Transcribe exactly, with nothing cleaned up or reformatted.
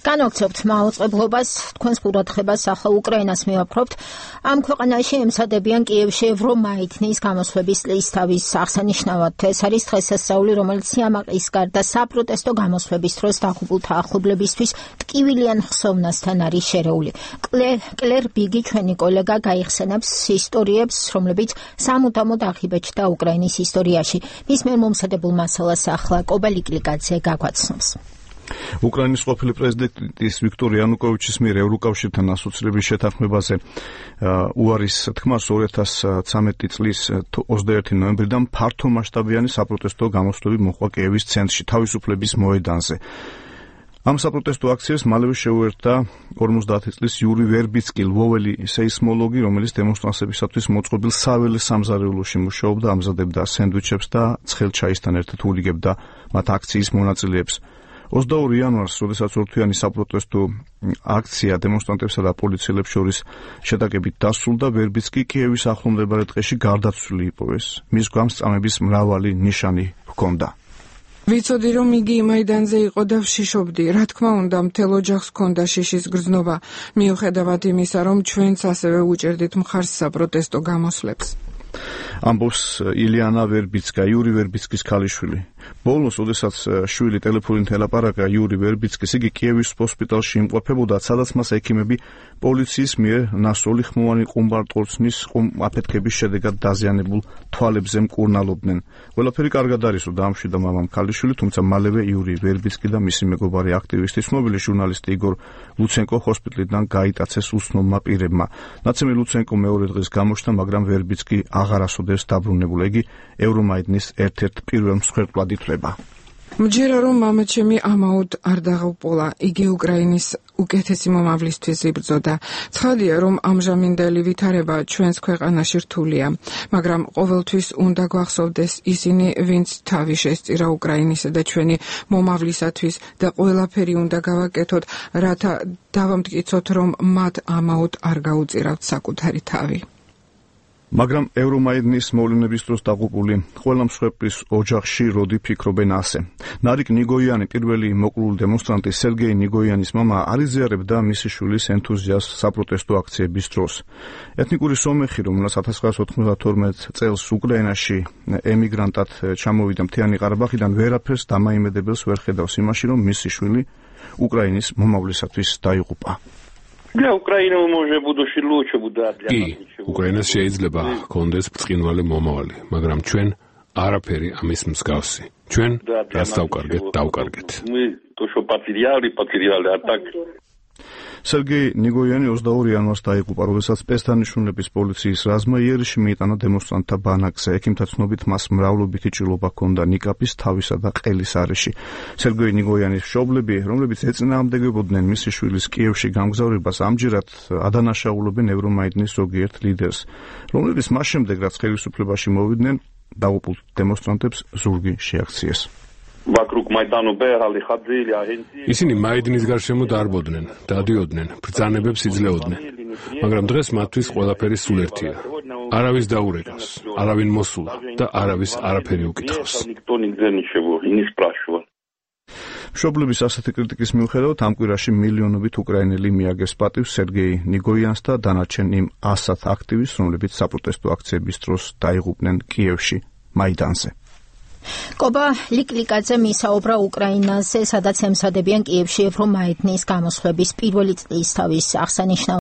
განვაგრძობთ მაუწყებლობას, თქვენს ყურადღებას ახლა უკრაინას მივაფრობთ. ამ ქვეყანაში ემსადებიან კიევში ევრომაიდნის გამოსვლების წლისთავის აღსანიშნავად. ეს არის დღესასწაული, რომელიც სიამაყის გარდა საპროტესტო გამოსვლების დროს დაღუპულთა ახლობლებისთვის ტკივილიან ხსოვნასთან არის შერეული. კლერ ბიგი, ჩვენი კოლეგა, გაიხსენებს ისტორიებს, რომლებიც სამუდამოდ აღიბეჭდა უკრაინის ისტორიაში. მის მიერ მომზადებულ მასალას ახლა კობა ლიკლიკაძე გაგვაცნობს. უკრაინის ყოფილი პრეზიდენტის ვიქტორ იანუკოვიჩის მიერ ევროკავშირთან ასოცირების შეთანხმებაზე უარის თქმას ორი ათას ცხრამეტი წლის ოცდაერთი ნოემბრიდან ფართომასშტაბიანი საპროტესტო გამოსვლები მოხდა კიევის ცენტრში, თავისუფლების მოედანზე. ამ საპროტესტო აქციას მალევე შეუერთდა ორმოცდაათი წლის იური ვერბიცკი, ლვოველი სეისმოლოგი, რომელიც დემონსტრანტებისათვის მოწყობილ საველე სამზარეულოში მუშაობდა, ამზადებდა სენდვიჩებს და ცხელ ჩაისთან ერთად ულიგებდა მათ აქციის მონაწილეებს. ოცდაორი იანვარს, როდესაც ორთვიანი საპროტესტო აქცია დემონსტრანტებსა და პოლიციელებს შორის შეტაკებით დასრულდა, ვერბიცკი კიევის ახლომდებარე ტყეში გარდაცვლილი იპოვეს. მის გვამს წამების მრავალი ნიშანი ჰქონდა. ვიცოდი, რომ იგი მაიდანზე იყო და ვშიშობდი. რა თქმა უნდა, მთელ ოჯახს ჰქონდა შიშის გრძნობა, მიუხედავად იმისა, რომ ჩვენც ასევე უჭერდით მხარს საპროტესტო გამოსვლებს. ამბობს ილიანა ვერბიცკა, იური ვერბიცკის ქალიშვილი. ბოლოს, ოდესაც შვილი ტელეფონით ელაპარაკა იური ვერბიცკის, იგი კიევის ჰოსპიტალში იმყოფებოდა, სადაც მას ექიმები პოლიციის მიერ ნასროლი ხმოვანი ყუმბარტყორცნის აფეთქების შედეგად დაზიანებულ თვალებზე მკურნალობდნენ. ყველაფერი კარგად არისო, დაამშვიდა მამამ ქალიშვილი, თუმცა მალევე იური ვერბიცკი და მისი მეგობარი აქტივისტი, ცნობილი ჟურნალისტი იგორ ლუცენკო ჰოსპიტალიდან გაიტაცეს უცნობმა პირებმა. ნაცემი ლუცენკო მეორე დღეს გამოჩნდა, მაგრამ ვერბიცკი აღარ ასოდეს დაბრუნებულა. იგი ევრომაიდნის ერთ-ერთ პირველ მსხვერპლად ითვლება. მჯერა რომ მამაჩემი ამაოდ არ დაღუპულა, იგი უკრაინის უკეთესი მომავლისთვის იბრძოდა. ცხადია, რომ ამჟამინდელი ვითარება ჩვენს ქვეყანაში რთულია, მაგრამ ყოველთვის უნდა გვახსოვდეს ისინი, ვინც თავი შესწირა უკრაინისა და ჩვენი მომავლისათვის და ყველაფერი უნდა გავაკეთოთ, რათა დავამტკიცოთ, რომ მათ ამაოდ არ გაუწირავთ საკუთარი თავი. მაგრამ ევრომაიდნის მოვლენების დროს დაღუპული ყველა მსხვერპლის ოჯახში როდი ფიქრობენ ასე. ნარიკ ნიგოიანი, პირველი მოკლული დემონსტრანტი სერგეი ნიგოიანის მამა, არ იზიარებდა მისი შვილის ენთუზიაზმს საპროტესტო აქციების დროს. ეთნიკური სომეხი, რომელსაც ათას ცხრაასი ოთხმოცდათორმეტ წელს უკრაინაში ემიგრანტად ჩამოვიდა მთიანი ყარაბაღიდან, ვერაფერს დამაიმედებელს ვერ ხედავს იმაში, რომ მისი შვილი უკრაინის მომავლისათვის დაიღუპა. Для Украины може будущее лучше будет для нас. უკრაინას შეიძლება ჰქონდეს ბრწყინვალე მომავალი, მაგრამ ჩვენ არაფერი ამის მსგავსი. ჩვენ რაც დავკარგეთ, დავკარგეთ. Мы то, что потеряли, потеряли, а так სერგეი ნიგოიანი ოცდაორი იანვარს დაიღუპა, როდესაც პესტანიშვილების პოლიციის რაზმმა იერიში მიიტანა დემონსტრანტთა ბანაკზე. ექიმთა ცნობით მას მრავლობითი ჭრილობა ჰქონდა ნიკაპის, თავისა და ყელის არეში. სერგეი ნიგოიანის მშობლები, რომლებიც ეწინააღმდეგებოდნენ მისი შვილის კიევში გამგზავრებას, ამჯერად ადანაშაულობენ ევრომაიდნის ზოგიერთ ლიდერს, რომლებიც მას შემდეგ, რაც ხელისუფლებაში მოვიდნენ, დაღუპულ დემონსტრანტებს ზურგი შეაქციეს. Вокруг Майдану бегали, ходили, агенции. ისინი მაიდინის გარშემო დარბოდნენ, დადიოდნენ, ბრძანებებს იძლეოდნენ. მაგრამ დღეს მათთვის ყველაფერი სულ ერთია. არავის დაურეკავს, არავინ მოსულა და არავის არაფერი უკითხავს. მშობლების ასეთი კრიტიკის მიუხედავად, ამ კვირაში მილიონობით უკრაინელი მიაგებს პატივს სერგეი ნიგოიანს და დანარჩენ იმ ასად აქტივისტს, რომლებიც საპროტესტო აქციების დროს დაიღუპნენ კიევში, მაიდანზე. კობა ლიკლიკაძე მისაუბრა უკრაინაზე, სადაც ემსადებიან კიევში ევრომაიდნის გამოსვლების პირველი წლისთავის აღსანიშნავად.